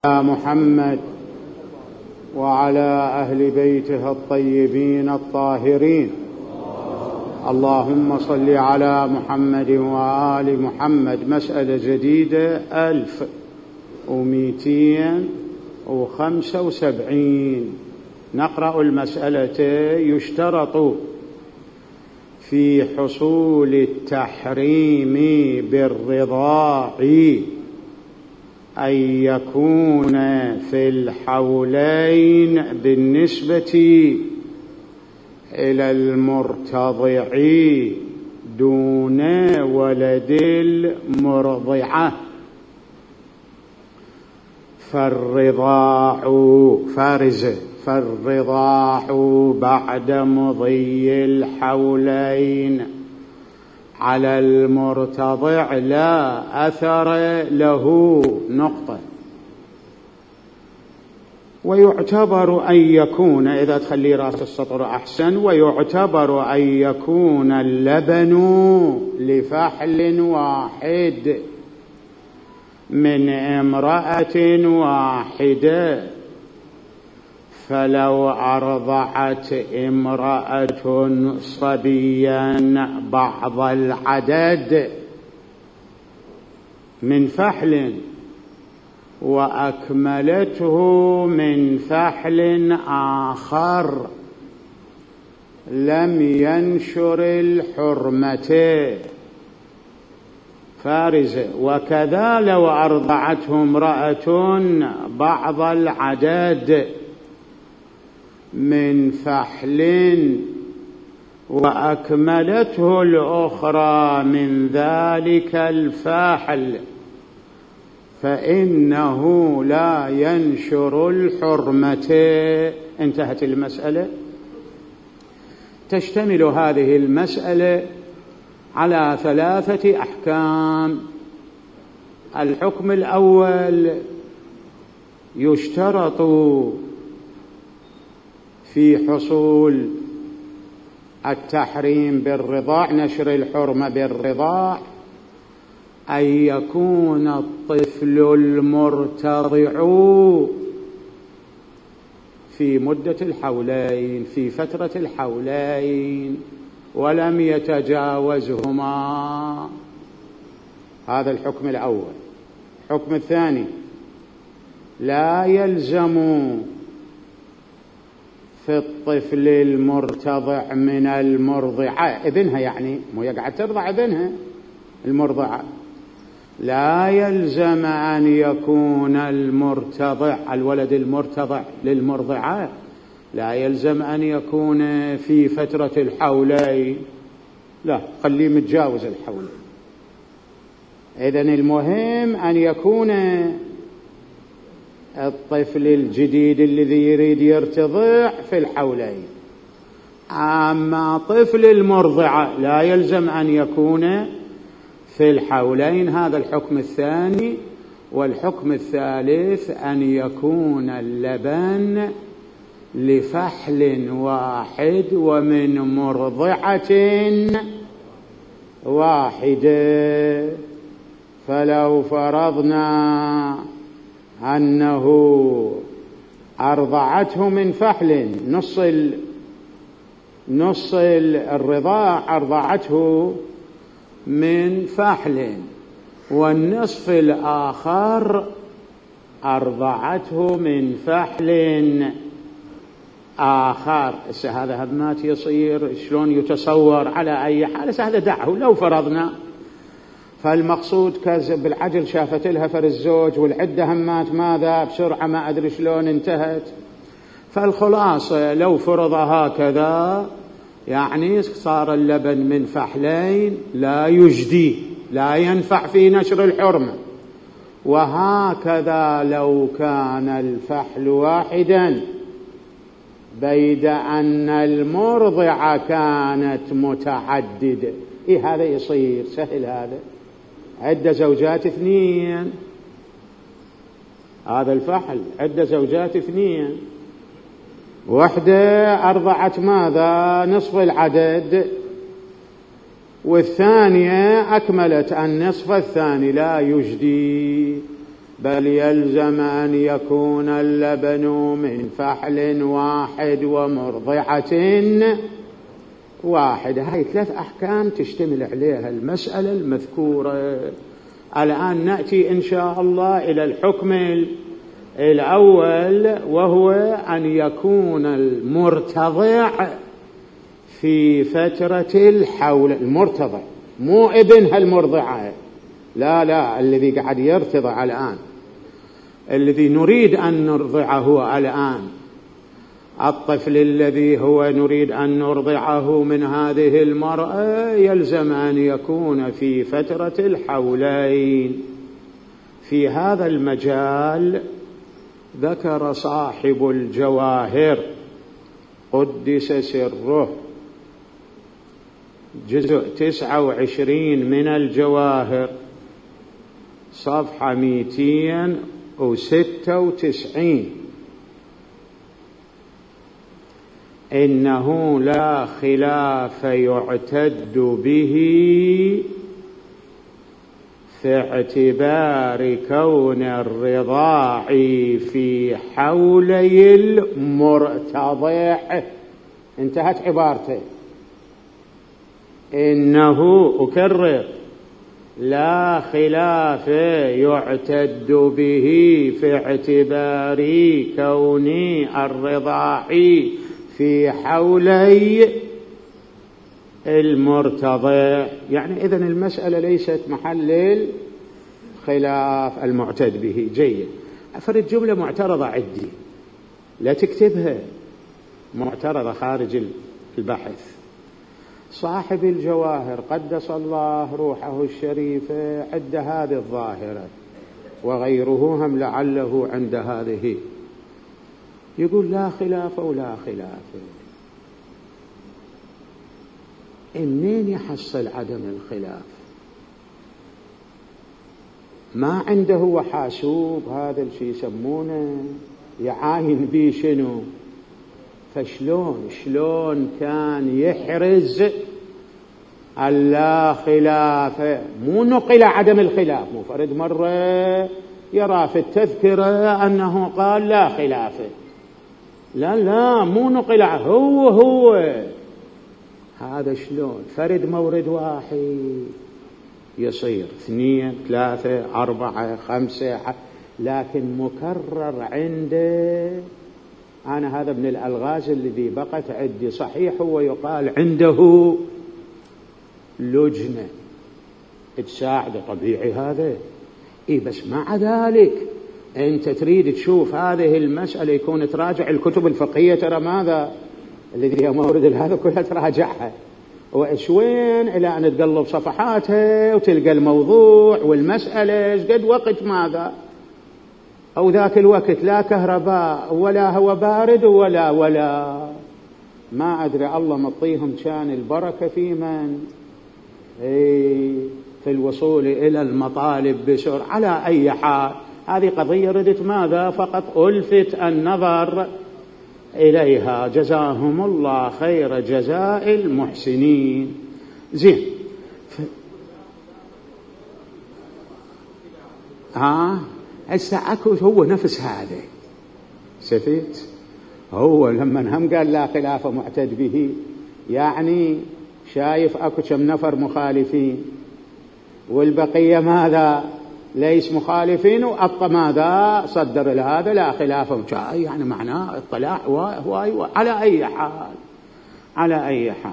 محمد وعلى أهل بيته الطيبين الطاهرين. اللهم صل على محمد وآل محمد. مسألة جديدة 1275. نقرأ المسألة. يشترط في حصول التحريم بالرضاع أن يكون في الحولين بالنسبة إلى المرتضع دون ولد المرضعة. فالرضاع بعد مضي الحولين على المرتضع لا أثر له. نقطة. ويعتبر أن يكون، إذا تخلي رأس السطر أحسن، ويعتبر أن يكون اللبن لفحل واحد من امرأة واحدة. فلو أرضعت امرأة صبيا بعض العدد من فحل وأكملته من فحل آخر لم ينشر الحرمة. فارزة. وكذا لو أرضعته امرأة بعض العدد من فحل وأكملته الأخرى من ذلك الفاحل فإنه لا ينشر الحرمة. انتهت المسألة. تشتمل هذه المسألة على 3 أحكام. الحكم الأول: يشترط في حصول التحريم بالرضاع، نشر الحرمة بالرضاع، أن يكون الطفل المرتضع في مدة الحولين، في فترة الحولين، ولم يتجاوزهما. هذا الحكم الأول. الحكم الثاني: لا يلزم في الطفل المرتضع من المرضعة، ابنها يعني، مو يقعد ترضع ابنها المرضعة، لا يلزم أن يكون المرتضع، الولد المرتضع للمرضعة، لا يلزم أن يكون في فترة الحولين، لا، خليه متجاوز الحولين. إذن المهم أن يكون الطفل الجديد الذي يريد يرتضع في الحولين. أما طفل المرضعة لا يلزم أن يكون في الحولين. هذا الحكم الثاني. والحكم الثالث: أن يكون اللبن لفحل واحد ومن مرضعة واحدة. فلو فرضنا أنه أرضعته من فحل، نص الرضاع أرضعته من فحل، والنصف الآخر أرضعته من فحل آخر. هذا ما يصير شلون يتصور على أي حال. هذا دعه لو فرضنا. فالمقصود كذب بالعجل شافت لها الزوج والعدة همات ماذا بسرعة ما أدري شلون انتهت. فالخلاصة لو فرض هكذا يعني صار اللبن من فحلين لا يجدي، لا ينفع في نشر الحرمة. وهكذا لو كان الفحل واحدا بيد أن المرضعة كانت متعددة. هذا يصير سهل. هذا عدة زوجات 2. هذا الفحل عدة زوجات 2. واحدة أرضعت ماذا؟ نصف العدد، والثانية أكملت النصف الثاني لا يجدي. بل يلزم أن يكون اللبن من فحل واحد ومرضعة واحدة. هاي 3 أحكام تشتمل عليها المسألة المذكورة. الآن نأتي إن شاء الله إلى الحكم الأول، وهو أن يكون المرتضع في فترة الحول. المرتضع مو ابنها المرضعة، لا الذي قاعد يرتضع الآن، الذي نريد أن نرضعه الآن، الطفل الذي هو نريد أن نرضعه من هذه المرأة يلزم أن يكون في فترة الحولين. في هذا المجال ذكر صاحب الجواهر قدس سره جزء 29 من الجواهر صفحة 296: إنه لا خلاف يعتد به في اعتبار كون الرضاع في حولي المرتضع. انتهت عبارته. إنه، أكرر، لا خلاف يعتد به في اعتبار كون الرضاع في حولي المرتضع. يعني إذن المسألة ليست محل الخلاف المعتد به. جيد. أفرد جملة معترضة عندي، لا تكتبها، معترضة خارج البحث. صاحب الجواهر قدس الله روحه الشريفة عند هذه الظاهرة، وغيره هم لعله عند هذه، يقول لا خلاف ولا خلاف. منين يحصل عدم الخلاف؟ ما عنده وحاسوب، هذا الشيء يسمونه يعاين بيه شنو؟ فشلون كان يحرز اللا خلاف؟ مو نقل عدم الخلاف، مو فرد مرة يرى في التذكرة أنه قال لا خلاف، لا مو نقل، هو هذا. شلون فرد مورد واحد يصير 2 3 4 5، لكن مكرر عنده. أنا هذا من الألغاز الذي بقت عندي. صحيح هو يقال عنده لجنة تساعد، طبيعي هذا، بس مع ذلك أنت تريد تشوف هذه المسألة يكون تراجع الكتب الفقهية، ترى ماذا الذي هي مورد هذا كلها تراجعها، وإشوين إلى أن تقلب صفحاتها وتلقى الموضوع والمسألة. قد وقت ماذا؟ أو ذاك الوقت لا كهرباء ولا هو بارد ولا ما أدري، الله مطيهم كان البركة في من في الوصول إلى المطالب بسرعة. على أي حال هذه قضية ردت ماذا فقط ألفت النظر إليها. جزاهم الله خير جزاء المحسنين. زين. أكو هو نفس هذا سفيت، هو لما هم قال لا خلاف معتد به، يعني شايف أكو كم نفر مخالفين والبقية ماذا ليس مخالفين، وأبقى ماذا صدر لهذا لا خلاف، يعني معناه اطلاع هو. على أي حال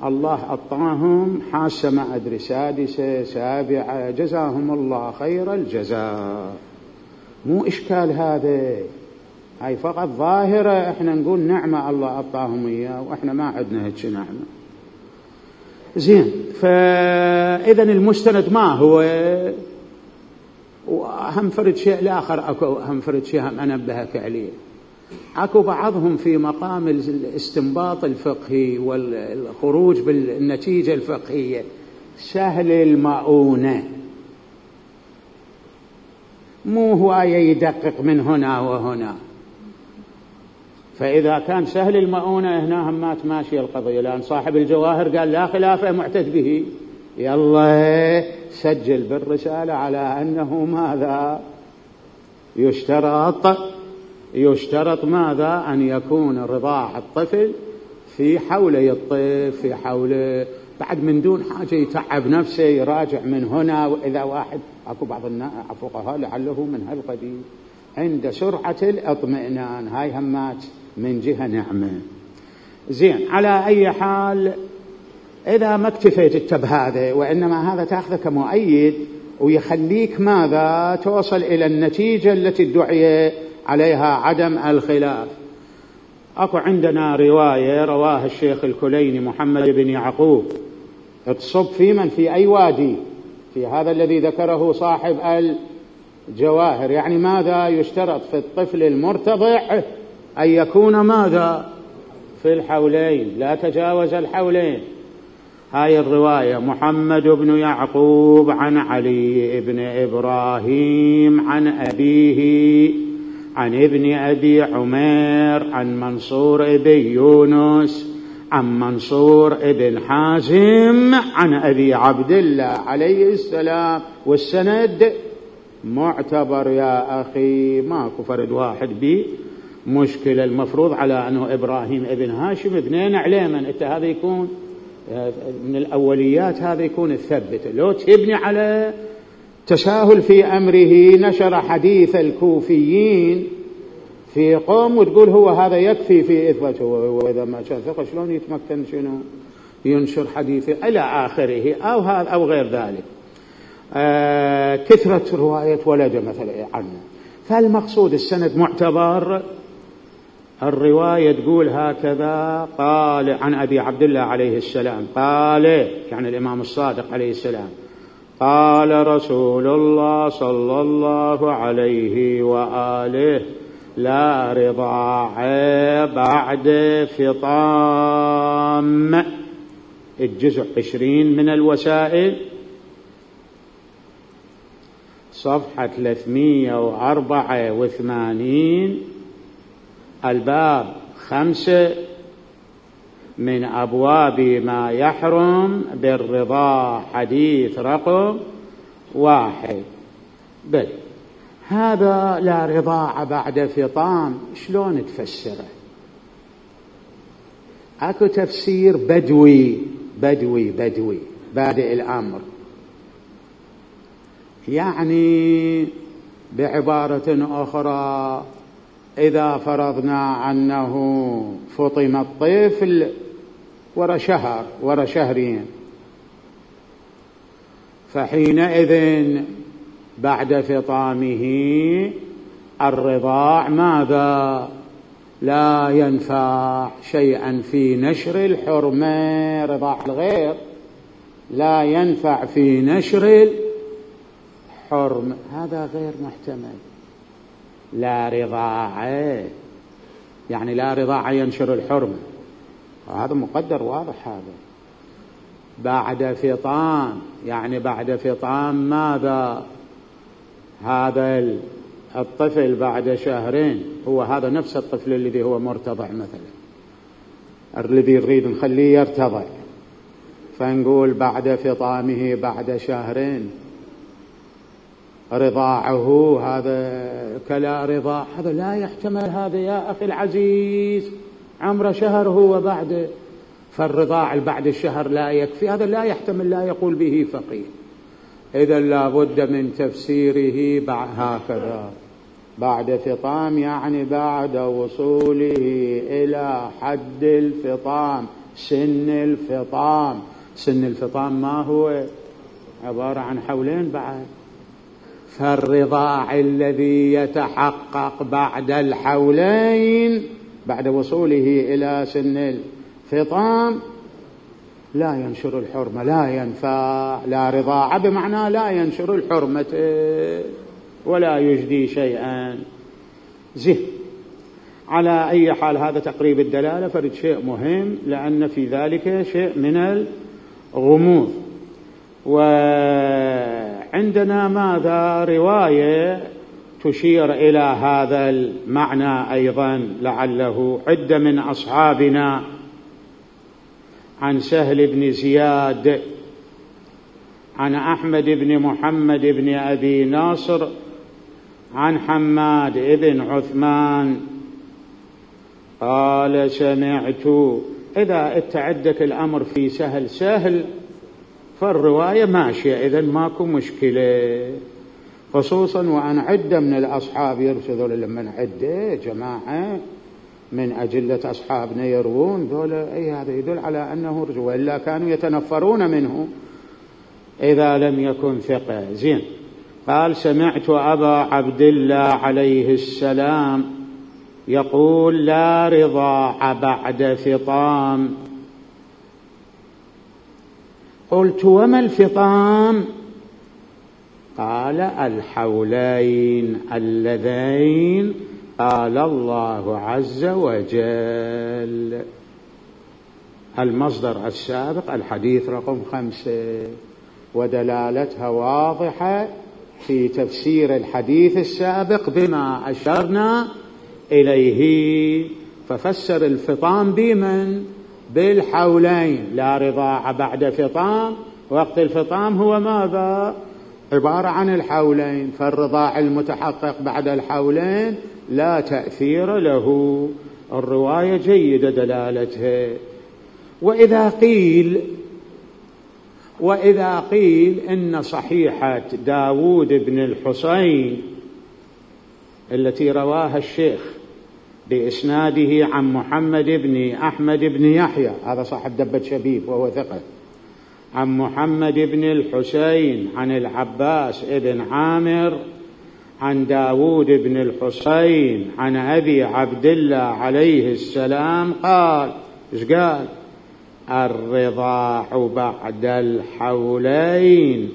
الله أعطاهم حاسة ما أدري 6 7، جزاهم الله خير الجزاء. مو إشكال هذا، هاي فقط ظاهرة احنا نقول نعمة الله أعطاهم إياه، وإحنا ما عندنا هيك نعمة. زين. فإذن المستند ما هو؟ وهم فرد شيء الآخر، أكو هم فرد شيء هم أنبهك عليه. أكو بعضهم في مقام الاستنباط الفقهي والخروج بالنتيجة الفقهية سهل المؤونة، مو هو يدقق من هنا وهنا. فإذا كان سهل المؤونة هنا هم ما تماشي القضية، لأن صاحب الجواهر قال لا خلاف معتد به، يلا سجل بالرسالة على أنه ماذا يشترط ماذا؟ أن يكون رضاع الطفل في حولي الطفل، في حوله، بعد من دون حاجة يتعب نفسه يراجع من هنا. وإذا واحد أكو بعض الفقهاء لعله من هالقبيل عند سرعة الاطمئنان، هاي همات من جهة نعمة. زين، على أي حال إذا ما اكتفيت بهذا وإنما هذا تأخذه كمؤيد ويخليك ماذا؟ توصل إلى النتيجة التي ادعي عليها عدم الخلاف. أكو عندنا رواية رواها الشيخ الكليني محمد بن يعقوب، تصب في من؟ في أي وادي؟ في هذا الذي ذكره صاحب الجواهر. يعني ماذا يشترط في الطفل المرتضع؟ أن يكون ماذا؟ في الحولين، لا تجاوز الحولين. هاي الرواية محمد بن يعقوب عن علي بن إبراهيم عن أبيه عن ابن أبي عمير عن منصور بن يونس عن منصور بن حازم عن أبي عبد الله عليه السلام. والسند معتبر يا أخي، ماكو فرد واحد بي مشكلة. المفروض على أنه إبراهيم ابن هاشم ابنين عليمن، أنت هذا يكون من الأوليات، هذا يكون الثبت. لو تبني على تساهل في أمره نشر حديث الكوفيين في قوم وتقول هو هذا يكفي في إثباته، وإذا ما كان ثقة شلون يتمكن شنو ينشر حديثه إلى آخره، أو هذا أو غير ذلك. كثرة رواية ولد مثلا عنه. فالمقصود السند معتبر. الرواية تقول هكذا: قال عن أبي عبد الله عليه السلام قال، يعني الإمام الصادق عليه السلام، قال رسول الله صلى الله عليه وآله: لا رضاع بعد فطام. الجزء 20 من الوسائل، صفحة 384، الباب 5 من أبواب ما يحرم بالرضاع، حديث رقم 1. بل هذا لا رضاع بعد فطام شلون تفسره؟ اكو تفسير بدوي بادئ الأمر، يعني بعبارة أخرى إذا فرضنا أنه فطم الطفل ورا شهر ورا شهرين، فحينئذ بعد فطامه الرضاع ماذا؟ لا ينفع شيئا في نشر الحرمة. رضاع الغير لا ينفع في نشر الحرمة، هذا غير محتمل. لا رضاع يعني لا رضاع ينشر الحرمة، وهذا مقدر واضح. هذا بعد فطام يعني بعد فطام ماذا؟ هذا الطفل بعد شهرين هو هذا نفس الطفل الذي هو مرتضع مثلا، الذي نريد نخليه يرتضع، فنقول بعد فطامه بعد شهرين رضاعه، هذا كلا رضاع، هذا لا يحتمل. هذا يا أخي العزيز عمره شهر هو بعد، فالرضاع بعد الشهر لا يكفي، هذا لا يحتمل، لا يقول به فقيه. إذا لا بد من تفسيره هكذا: بعد فطام يعني بعد وصوله إلى حد الفطام، سن الفطام. سن الفطام ما هو؟ عبارة عن حولين بعد. فالرضاع الذي يتحقق بعد الحولين بعد وصوله إلى سن الفطام لا ينشر الحرمة، لا ينفع. لا رضاع بمعنى لا ينشر الحرمة ولا يجدي شيئا. زين، على أي حال هذا تقريب الدلالة، فرد شيء مهم لأن في ذلك شيء من الغموض. وعندنا ماذا؟ رواية تشير إلى هذا المعنى أيضا، لعله عدة من أصحابنا، عن سهل بن زياد عن أحمد بن محمد بن أبي ناصر عن حماد بن عثمان قال سمعت. إذا عندك الأمر في سهل فالرواية ماشية، إذن ماكو مشكلة، خصوصا وأن عدة من الأصحاب يرسلوا لما عدة جماعة من أجلة أصحابنا يروون ذولا، أي هذا يدل على أنه رجل، وإلا كانوا يتنفرون منه إذا لم يكن ثقة. زين. قال سمعت أبا عبد الله عليه السلام يقول لا رضاع بعد فطام. قلت وما الفطام؟ قال الحولين اللذين قال الله عز وجل. المصدر السابق الحديث رقم 5، ودلالتها واضحة في تفسير الحديث السابق بما أشرنا إليه، ففسر الفطام بمن؟ بالحولين. لا رضاع بعد فطام، وقت الفطام هو ماذا؟ عبارة عن الحولين، فالرضاع المتحقق بعد الحولين لا تأثير له. الرواية جيدة دلالتها. وإذا قيل إن صحيحة داود بن الحسين التي رواها الشيخ بإسناده عن محمد بن أحمد بن يحيى، هذا صاحب دبة شبيب وهو ثقة، عن محمد بن الحسين عن العباس بن عامر عن داود بن الحسين عن أبي عبد الله عليه السلام قال، إيش قال؟ الرضاع بعد الحولين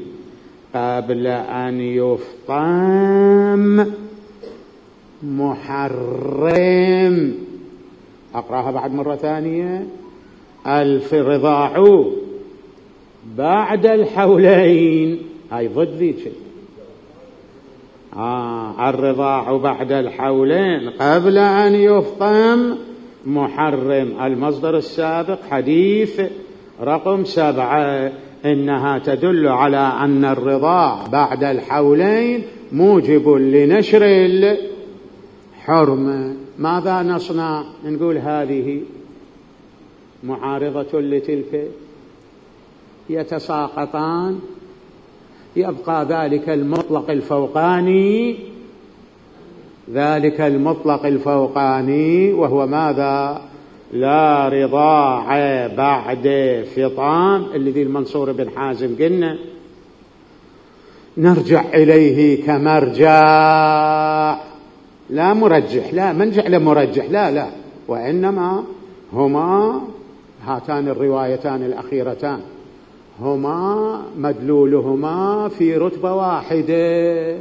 قبل أن يفطم محرم. أقرأها بعد مرة ثانية. الرضاع بعد الحولين، هاي ضد ذيك. الرضاع بعد الحولين قبل أن يفطم محرم. المصدر السابق حديث رقم 7، إنها تدل على أن الرضاع بعد الحولين موجب لنشر الحرمة. ماذا نصنع؟ نقول هذه معارضة لتلك، يتساقطان، يبقى ذلك المطلق الفوقاني وهو ماذا؟ لا رضاع بعد فطام، الذي المنصور بن حازم قلنا نرجع إليه كمرجع، لا مرجح، لا منجع لمرجح، لا، وإنما هما هاتان الروايتان الأخيرتان هما مدلولهما في رتبة واحدة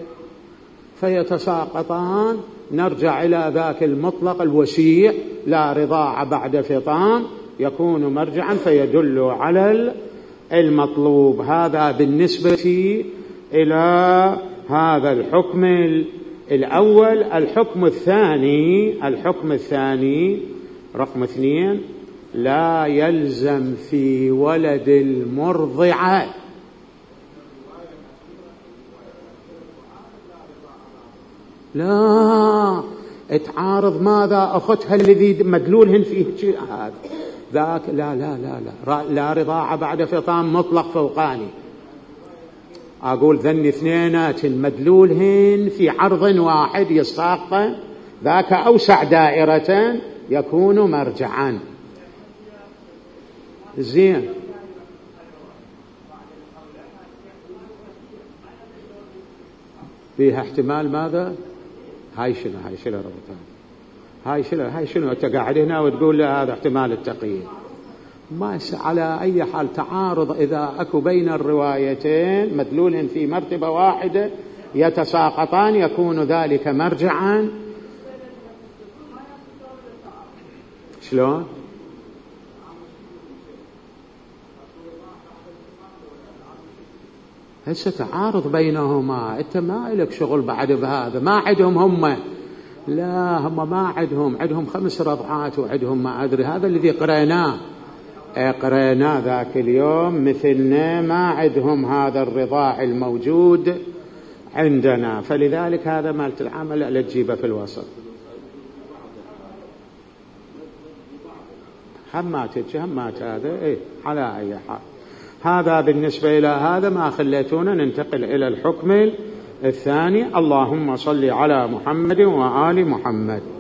فيتساقطان. نرجع إلى ذاك المطلق الوسيع لا رضاع بعد فطام يكون مرجعا فيدل على المطلوب. هذا بالنسبة إلى هذا الحكم الأول. الحكم الثاني رقم 2، لا يلزم في ولد المرضعة لا تعارض ماذا أختها الذي مدلولهن فيه هذا ذاك، لا رضاعة بعد فطام مطلق فوقاني. أقول ذن اثنينات مدلولهن في عرض واحد يستاق، ذاك أوسع دائرة يكون مرجعا. زين. فيها احتمال ماذا؟ هاي شنو ربطان؟ هاي شنو انت قاعد هنا وتقول هذا احتمال التقييد؟ ما على أي حال تعارض إذا أكو بين الروايتين مدلول في مرتبة واحدة يتساقطان يكون ذلك مرجعا. شلون؟ هسه تعارض بينهما، انت ما لك شغل بعد بهذا. ما عندهم هم، لا هم ما عندهم 5 رضعات وعندهم ما أدري. هذا الذي قرأناه ذاك اليوم مثلنا، ما عندهم هذا الرضاع الموجود عندنا. فلذلك هذا مالت العمل ألا تجيبه في الوسط. همات هذا إيه على أي حال. هذا بالنسبة إلى هذا. ما خليتونا ننتقل إلى الحكم الثاني. اللهم صل على محمد وآل محمد.